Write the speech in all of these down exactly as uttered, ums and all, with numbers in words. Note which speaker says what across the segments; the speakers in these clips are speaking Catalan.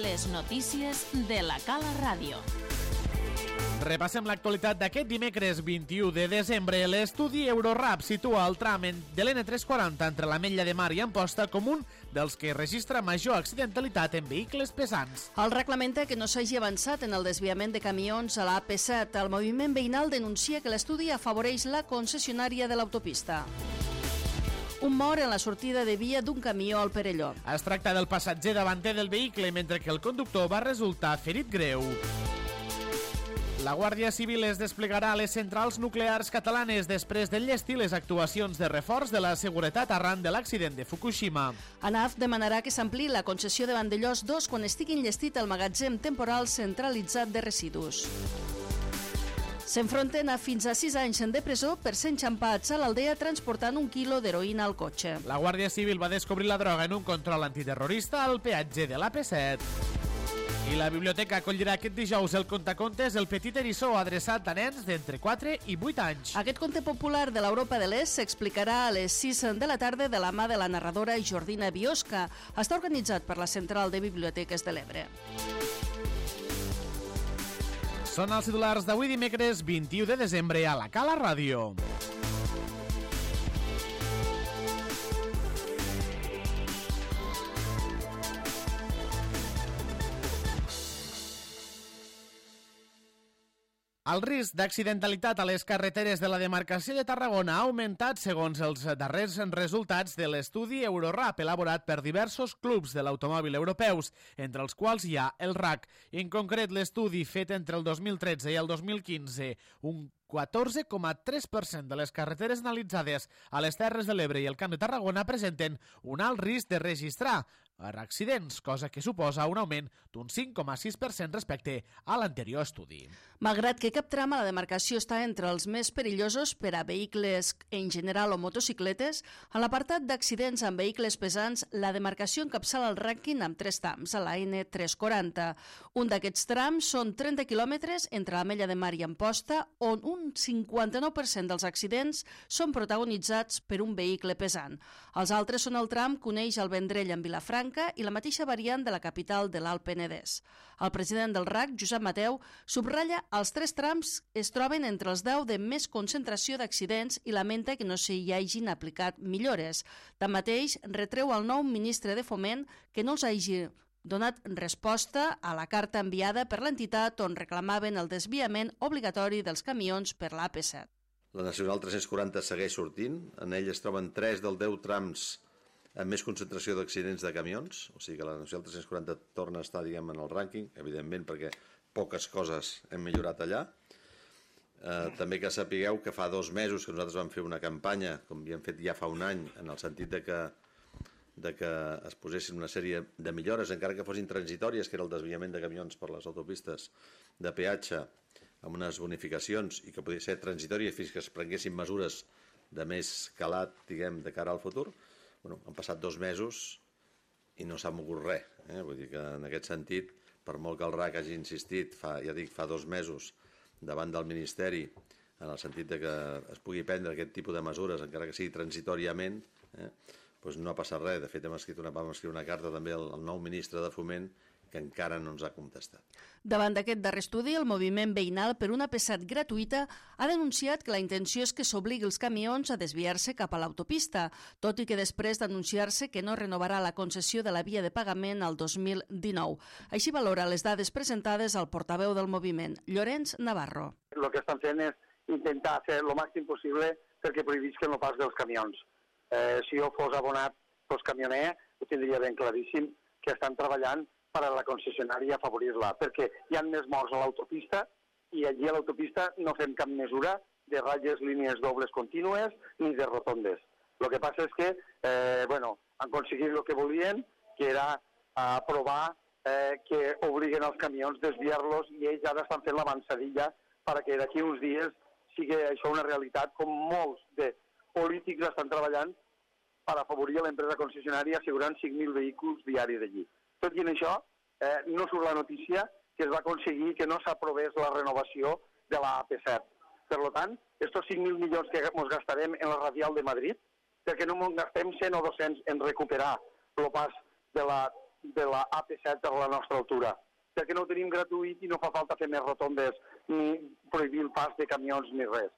Speaker 1: les notícies de la Cala Ràdio.
Speaker 2: Repassem l'actualitat d'aquest dimecres vint-i-u de desembre. L'estudi Eurorap situa el tram de l'N tres quaranta entre l'Ametlla de Mar i Amposta com un dels que registra major accidentalitat en vehicles pesants.
Speaker 3: El reglamenta que no s'hagi avançat en el desviament de camions a la A P set. El moviment veïnal denuncia que l'estudi afavoreix la concessionària de l'autopista. Un mort en la sortida de via d'un camió al Perelló.
Speaker 2: Es tracta del passatger davanter del vehicle, mentre que el conductor va resultar ferit greu. La Guàrdia Civil es desplegarà a les centrals nuclears catalanes després d'enllestir les actuacions de reforç de la seguretat arran de l'accident de Fukushima.
Speaker 3: ANAF demanarà que s'ampliï la concessió de Vandellòs dos quan estigui enllestit el magatzem temporal centralitzat de residus. S'enfronten a fins a sis anys de presó per ser enxampats a l'Aldea transportant un quilo d'heroïna al cotxe.
Speaker 2: La Guàrdia Civil va descobrir la droga en un control antiterrorista al peatge de l'A P set. I la biblioteca acollirà aquest dijous el contacontes El Petit Eriçó, adreçat a nens d'entre quatre i vuit anys.
Speaker 3: Aquest conte popular de l'Europa de l'Est s'explicarà a les sis de la tarda de la mà de la narradora Jordina Biosca. Està organitzat per la Central de Biblioteques de l'Ebre.
Speaker 2: Són els titulars d'avui dimecres vint-i-u de desembre a la Cala Ràdio. El risc d'accidentalitat a les carreteres de la demarcació de Tarragona ha augmentat segons els darrers resultats de l'estudi Eurorap elaborat per diversos clubs de l'automòbil europeus, entre els quals hi ha el R A C. En concret, l'estudi fet entre el dos mil tretze i el dos mil quinze, un catorze coma tres per cent de les carreteres analitzades a les Terres de l'Ebre i el Camp de Tarragona presenten un alt risc de registrar accidents, cosa que suposa un augment d'un cinc coma sis per cent respecte a l'anterior estudi.
Speaker 3: Malgrat que cap tram a la demarcació està entre els més perillosos per a vehicles en general o motocicletes, a l'apartat d'accidents amb vehicles pesants, la demarcació encapçala el rànquing amb tres trams a la N tres quaranta. Un d'aquests trams són trenta quilòmetres entre l'Ametlla de Mar i Amposta, on un cinquanta-nou per cent dels accidents són protagonitzats per un vehicle pesant. Els altres són el tram que uneix el Vendrell amb Vilafranca i la mateixa variant de la capital de l'Alt Penedès. El president del R A C, Josep Mateu, subratlla els tres trams es troben entre els deu de més concentració d'accidents i lamenta que no s'hi hagin aplicat millores. Tanmateix, retreu al nou ministre de Foment que no els hagi donat resposta a la carta enviada per l'entitat on reclamaven el desviament obligatori dels camions per l'A P set.
Speaker 4: La Nacional tres-cents quaranta segueix sortint. En ell es troben tres dels deu trams amb més concentració d'accidents de camions, o sigui que la Nacional tres-cents quaranta torna a estar, diguem, en el rànquing, evidentment perquè poques coses hem millorat allà. Eh, també que sapigueu que fa dos mesos que nosaltres vam fer una campanya, com havíem fet ja fa un any, en el sentit de que de que es posessin una sèrie de millores, encara que fossin transitòries, que era el desviament de camions per les autopistes de peatge, amb unes bonificacions, i que podia ser transitòries fins que es prenguessin mesures de més calat, diguem, de cara al futur. Bueno, han passat dos mesos i no s'ha mogut res. Eh? Vull dir que en aquest sentit, per molt que el R A C hagi insistit, fa, ja dic, fa dos mesos, davant del Ministeri, en el sentit de que es pugui prendre aquest tipus de mesures, encara que sigui transitòriament, eh? doncs no ha passat res. De fet, hem escrit una, vam escriure una carta també al, al nou ministre de Foment, que encara no ens ha contestat.
Speaker 3: Davant d'aquest darrer estudi, el moviment veïnal per una A P set gratuïta ha denunciat que la intenció és que s'obligui els camions a desviar-se cap a l'autopista, tot i que després d'anunciar-se que no renovarà la concessió de la via de pagament al dos mil dinou. Així valora les dades presentades al portaveu del moviment, Llorenç Navarro.
Speaker 5: El que estan fent és intentar fer el màxim possible perquè prohibisquen el pas dels camions. Eh, si jo fos abonat pels camioner, ho tindria ben claríssim que estan treballant per a la concessionària afavorir-la, perquè hi ha més morts a l'autopista i allí a l'autopista no fem cap mesura de ratlles, línies dobles contínues ni de rotondes. El que passa és que eh, bueno, han aconseguit el que volien, que era aprovar eh, que obliguen els camions a desviar-los i ells ara estan fent l'avançadilla perquè d'aquí uns dies sigui això una realitat, com molts de polítics estan treballant per afavorir l'empresa concessionària assegurant cinc mil vehicles diaris d'allí. Tot i en això, eh, no surt la notícia que es va aconseguir que no s'aprovés la renovació de la A P set. Per tant, estos cinc mil milions que ens gastarem en la radial de Madrid, perquè no ens gastem cent o dos-cents en recuperar el pas de la de la A P set a la nostra altura, perquè no ho tenim gratuït i no fa falta fer més rotondes ni prohibir el pas de camions ni res.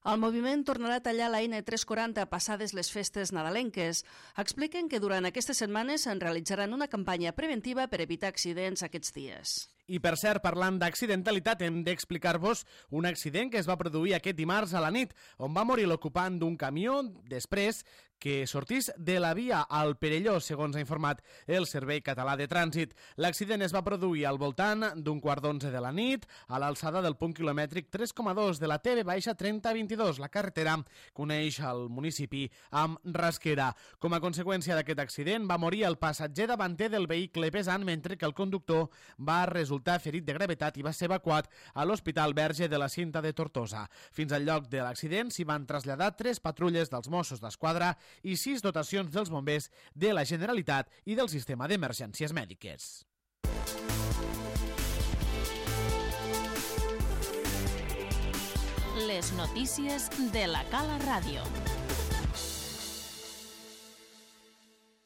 Speaker 3: El moviment tornarà a tallar la N tres cents quaranta passades les festes nadalenques. Expliquen que durant aquestes setmanes en realitzaran una campanya preventiva per evitar accidents aquests dies.
Speaker 2: I per cert, parlant d'accidentalitat, hem d'explicar-vos un accident que es va produir aquest dimarts a la nit, on va morir l'ocupant d'un camió després que sortís de la via al Perelló, segons ha informat el Servei Català de Trànsit. L'accident es va produir al voltant d'un quart d'onze de la nit, a l'alçada del punt quilomètric tres coma dos de la T V trenta vint-i-dos, la carretera que uneix el municipi amb Rasquera. Com a conseqüència d'aquest accident, va morir el passatger davanter del vehicle pesant, mentre que el conductor va resultar ferit de gravetat i va ser evacuat a l'Hospital Verge de la Cinta de Tortosa. Fins al lloc de l'accident s'hi van traslladar tres patrulles dels Mossos d'Esquadra i sis dotacions dels bombers de la Generalitat i del sistema d'emergències mèdiques.
Speaker 1: Les notícies de la Cala Ràdio.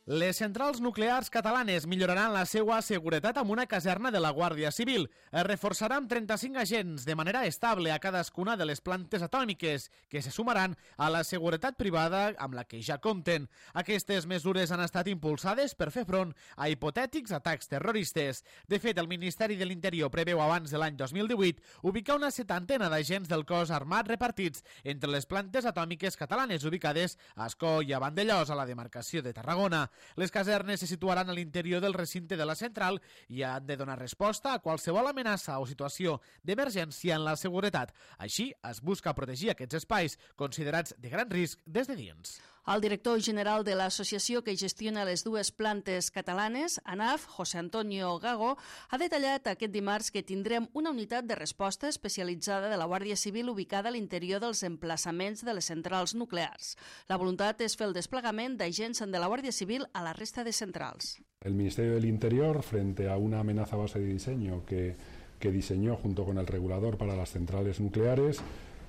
Speaker 2: Les centrals nuclears catalanes milloraran la seva seguretat amb una caserna de la Guàrdia Civil. Es reforçaran trenta-cinc agents de manera estable a cadascuna de les plantes atòmiques, que se sumaran a la seguretat privada amb la que ja compten. Aquestes mesures han estat impulsades per fer front a hipotètics atacs terroristes. De fet, el Ministeri de l'Interior preveu abans de l'any dos mil divuit ubicar una setantena d'agents del cos armat repartits entre les plantes atòmiques catalanes ubicades a Ascó i a Vandellòs, a la demarcació de Tarragona. Les casernes se situaran a l'interior del recinte de la central i han de donar resposta a qualsevol amenaça o situació d'emergència en la seguretat. Així, es busca protegir aquests espais considerats de gran risc des de dins.
Speaker 3: El director general de l'associació que gestiona les dues plantes catalanes, ANAF, José Antonio Gago, ha detallat aquest dimarts que tindrem una unitat de resposta especialitzada de la Guàrdia Civil ubicada a l'interior dels emplaçaments de les centrals nuclears. La voluntat és fer el desplegament d'agents de la Guàrdia Civil a la resta de centrals.
Speaker 6: El Ministerio del Interior, frente a una amenaza base de diseño que, que diseñó junto con el regulador para las centrales nucleares,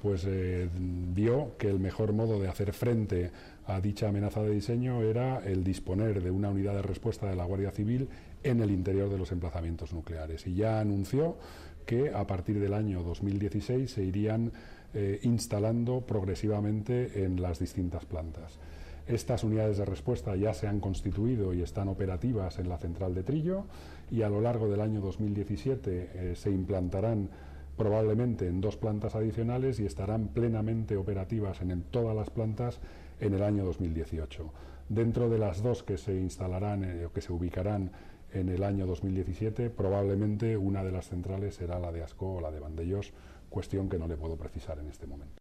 Speaker 6: pues eh, vio que el mejor modo de hacer frente a dicha amenaza de diseño era el disponer de una unidad de respuesta de la Guardia Civil en el interior de los emplazamientos nucleares. Y ya anunció que a partir del año dos mil dieciséis se irían eh, instalando progresivamente en las distintas plantas. Estas unidades de respuesta ya se han constituido y están operativas en la central de Trillo, y a lo largo del año dos mil diecisiete eh, se implantarán probablemente en dos plantas adicionales y estarán plenamente operativas en, en todas las plantas en el año dos mil dieciocho. Dentro de las dos que se instalarán eh, o que se ubicarán en el año dos mil diecisiete, probablemente una de las centrales será la de Ascó o la de Vandellòs, cuestión que no le puedo precisar en este momento.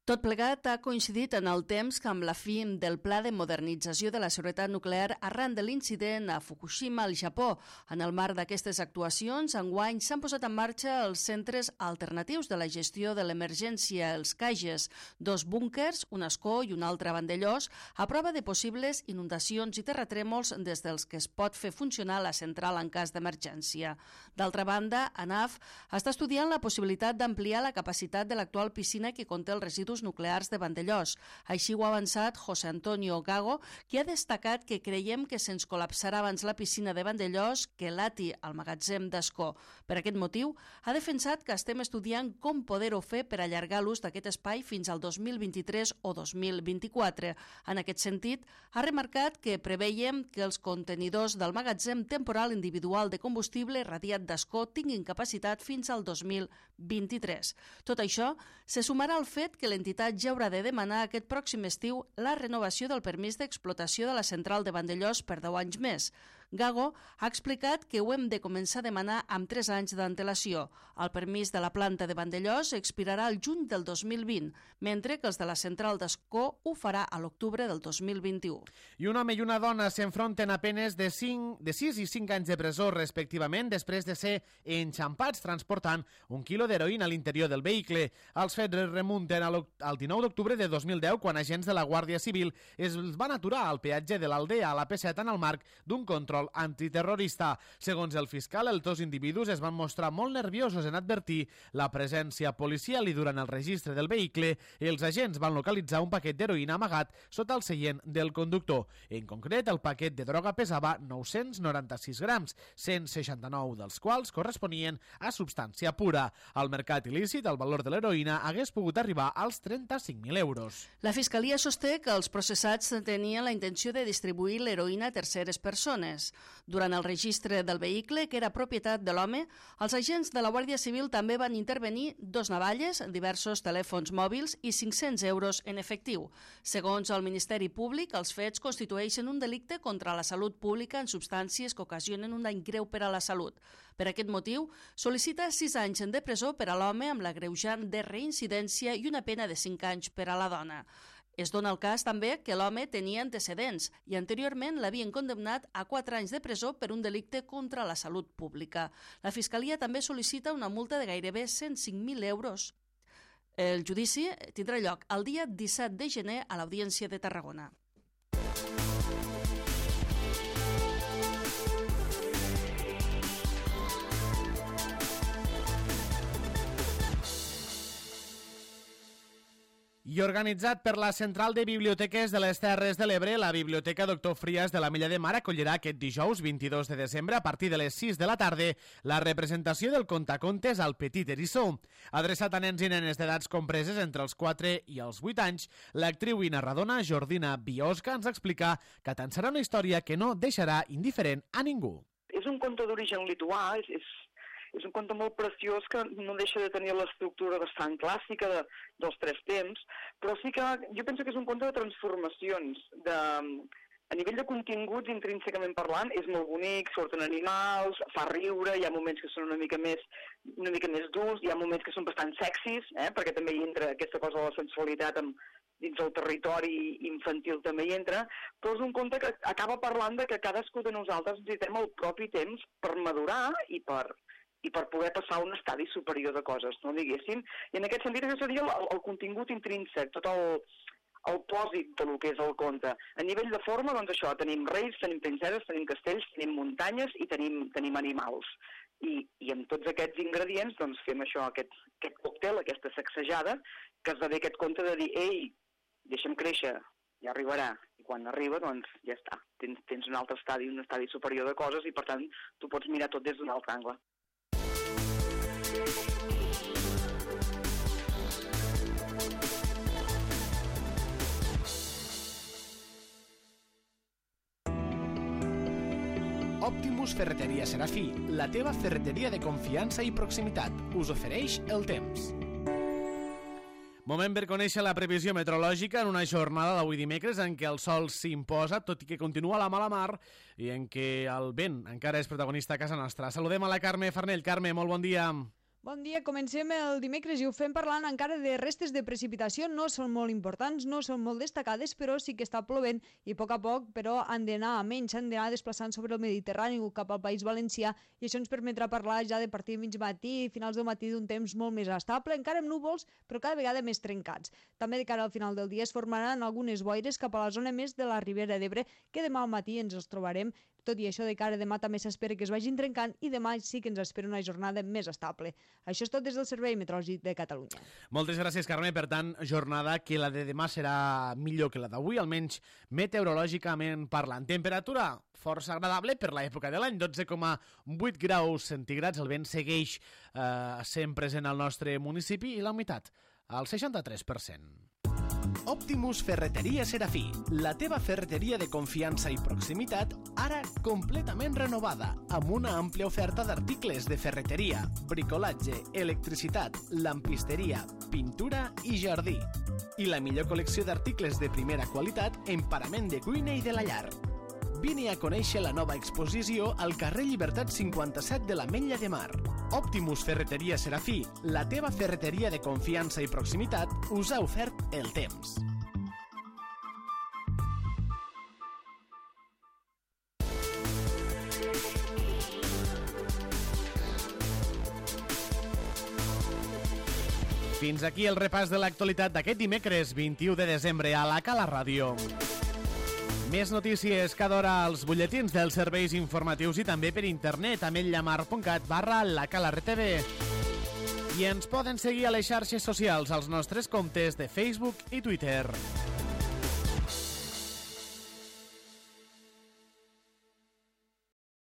Speaker 3: Tot plegat ha coincidit en el temps que amb la fi del Pla de Modernització de la Seguretat Nuclear arran de l'incident a Fukushima, al Japó. En el marc d'aquestes actuacions, enguany s'han posat en marxa els centres alternatius de la gestió de l'emergència, els C A G E S, dos búnkers, un a Ascó i un altre a Vandellòs, a prova de possibles inundacions i terratrèmols des dels que es pot fer funcionar la central en cas d'emergència. D'altra banda, ANAF està estudiant la possibilitat d'ampliar la capacitat de l'actual piscina que conté els residus nuclears de Vandellòs. Així ho ha avançat José Antonio Gago, qui ha destacat que creiem que se'ns col·lapsarà abans la piscina de Vandellòs que l'A T I al magatzem d'Ascó. Per aquest motiu, ha defensat que estem estudiant com poder-ho fer per allargar l'ús d'aquest espai fins al dos mil vint-i-tres o dos mil vint-i-quatre. En aquest sentit, ha remarcat que preveiem que els contenidors del magatzem temporal individual de combustible radiat d'Ascó tinguin capacitat fins al dos mil vint-i-tres. Tot això se sumarà al fet que l'entitat ja haurà de demanar aquest pròxim estiu la renovació del permís d'explotació de la central de Vandellòs per deu anys més. Gago ha explicat que ho hem de començar a demanar amb tres anys d'antelació. El permís de la planta de Vandellòs expirarà al juny del dos mil vint, mentre que els de la central d'Ascó ho farà a l'octubre del dos mil vint-i-u.
Speaker 2: I un home i una dona s'enfronten a penes de, cinc, de sis i cinc anys de presó, respectivament, després de ser enxampats transportant un quilo d'heroïna a l'interior del vehicle. Els fets remunten al dinou d'octubre de dos mil deu, quan agents de la Guàrdia Civil es van aturar al peatge de l'Aldea a la P set en el marc d'un control control antiterrorista. Segons el fiscal, els dos individus es van mostrar molt nerviosos en advertir la presència policial i durant el registre del vehicle els agents van localitzar un paquet d'heroïna amagat sota el seient del conductor. En concret, el paquet de droga pesava nou-cents noranta-sis grams, cent seixanta-nou dels quals corresponien a substància pura. Al mercat il·lícit, el valor de l'heroïna hagués pogut arribar als trenta-cinc mil euros.
Speaker 3: La Fiscalia sosté que els processats tenien la intenció de distribuir l'heroïna a terceres persones. Durant el registre del vehicle, que era propietat de l'home, els agents de la Guàrdia Civil també van intervenir dos navalles, diversos telèfons mòbils i cinc-cents euros en efectiu. Segons el Ministeri Públic, els fets constitueixen un delicte contra la salut pública en substàncies que ocasionen un dany greu per a la salut. Per aquest motiu, sol·licita sis anys de presó per a l'home amb l'agreujant de reincidència i una pena de cinc anys per a la dona. Es dona el cas també que l'home tenia antecedents i anteriorment l'havien condemnat a quatre anys de presó per un delicte contra la salut pública. La Fiscalia també sol·licita una multa de gairebé cent cinc mil euros. El judici tindrà lloc el dia disset de gener a l'Audiència de Tarragona.
Speaker 2: I organitzat per la Central de Biblioteques de les Terres de l'Ebre, la Biblioteca Doctor Frias de la Mella de Mar acollirà aquest dijous vint-i-dos de desembre a partir de les sis de la tarda la representació del contacontes al Petit Eriçó. Adreçat a nens i nenes d'edats compreses entre els quatre i els vuit anys, l'actriu i narradora Jordina Biosca ens explica que tant serà una història que no deixarà indiferent a ningú.
Speaker 7: És un conte d'origen lituà, és, és És un conte molt preciós que no deixa de tenir l'estructura bastant clàssica de, dels tres temps, però sí que jo penso que és un conte de transformacions. De, a nivell de continguts, intrínsecament parlant, és molt bonic, surten animals, fa riure, hi ha moments que són una mica més, una mica més durs, hi ha moments que són bastant sexis, eh, perquè també hi entra aquesta cosa de la sensualitat amb, dins el territori infantil també hi entra, però és un conte que acaba parlant de que cadascú de nosaltres necessitem el propi temps per madurar i per... i per poder passar a un estadi superior de coses, no diguéssim. I en aquest sentit, això seria el, el contingut intrínsec, tot el, el pòsit del que és el conte. A nivell de forma, doncs això, tenim reis, tenim princeses, tenim castells, tenim muntanyes i tenim, tenim animals. I, I amb tots aquests ingredients, doncs fem això, aquest, aquest còctel, aquesta sacsejada, que esdevé aquest conte de dir, ei, deixa'm créixer, ja arribarà. I quan arriba, doncs ja està. Tens, tens un altre estadi, un estadi superior de coses i, per tant, tu pots mirar tot des d'un altre angle.
Speaker 2: Optimus Ferreteria Serafí, la teva ferreteria de confiança i proximitat, us ofereix el temps. Moment per conèixer la previsió meteorològica en una jornada d'avui dimecres en què el sol s'imposa, tot i que continua la mala mar, i en què el vent encara és protagonista a casa nostra. Saludem a la Carme Farnell. Carme, molt bon dia.
Speaker 8: Bon dia, comencem el dimecres i ho fem parlant encara de restes de precipitació. No són molt importants, no són molt destacades, però sí que està plovent i a poc a poc, però han d'anar a menys, han d'anar desplaçant sobre el Mediterrani cap al País Valencià i això ens permetrà parlar ja de partir de mig matí i finals del matí d'un temps molt més estable, encara amb núvols, però cada vegada més trencats. També de cara al final del dia es formaran algunes boires cap a la zona més de la Ribera d'Ebre, que demà al matí ens els trobarem. Tot i això, de cara a demà també s'espera que es vagin trencant i demà sí que ens espera una jornada més estable. Això és tot des del Servei Meteorològic de Catalunya.
Speaker 2: Moltes gràcies, Carme. Per tant, jornada que la de demà serà millor que la d'avui, almenys meteorològicament parlant. Temperatura força agradable per l'època de l'any, dotze coma vuit graus centígrads. El vent segueix eh, sent present al nostre municipi i la humitat al seixanta-tres per cent. Optimus Ferreteria Serafí, la teva ferreteria de confiança i proximitat, ara completament renovada, amb una àmplia oferta d'articles de ferreteria, bricolatge, electricitat, lampisteria, pintura i jardí. I la millor col·lecció d'articles de primera qualitat en parament de cuina i de la llar. Vine a conèixer la nova exposició al carrer Llibertat cinquanta-set de l'Ametlla de Mar. Optimus Ferreteria Serafí, la teva ferreteria de confiança i proximitat, us ha ofert el temps. Fins aquí el repàs de l'actualitat d'aquest dimecres vint-i-u de desembre a la Cala Ràdio. Més notícies cada hora als butlletins dels serveis informatius i també per internet a medllamar.cat barra la Cala R T V. I ens poden seguir a les xarxes socials als nostres comptes de Facebook i Twitter.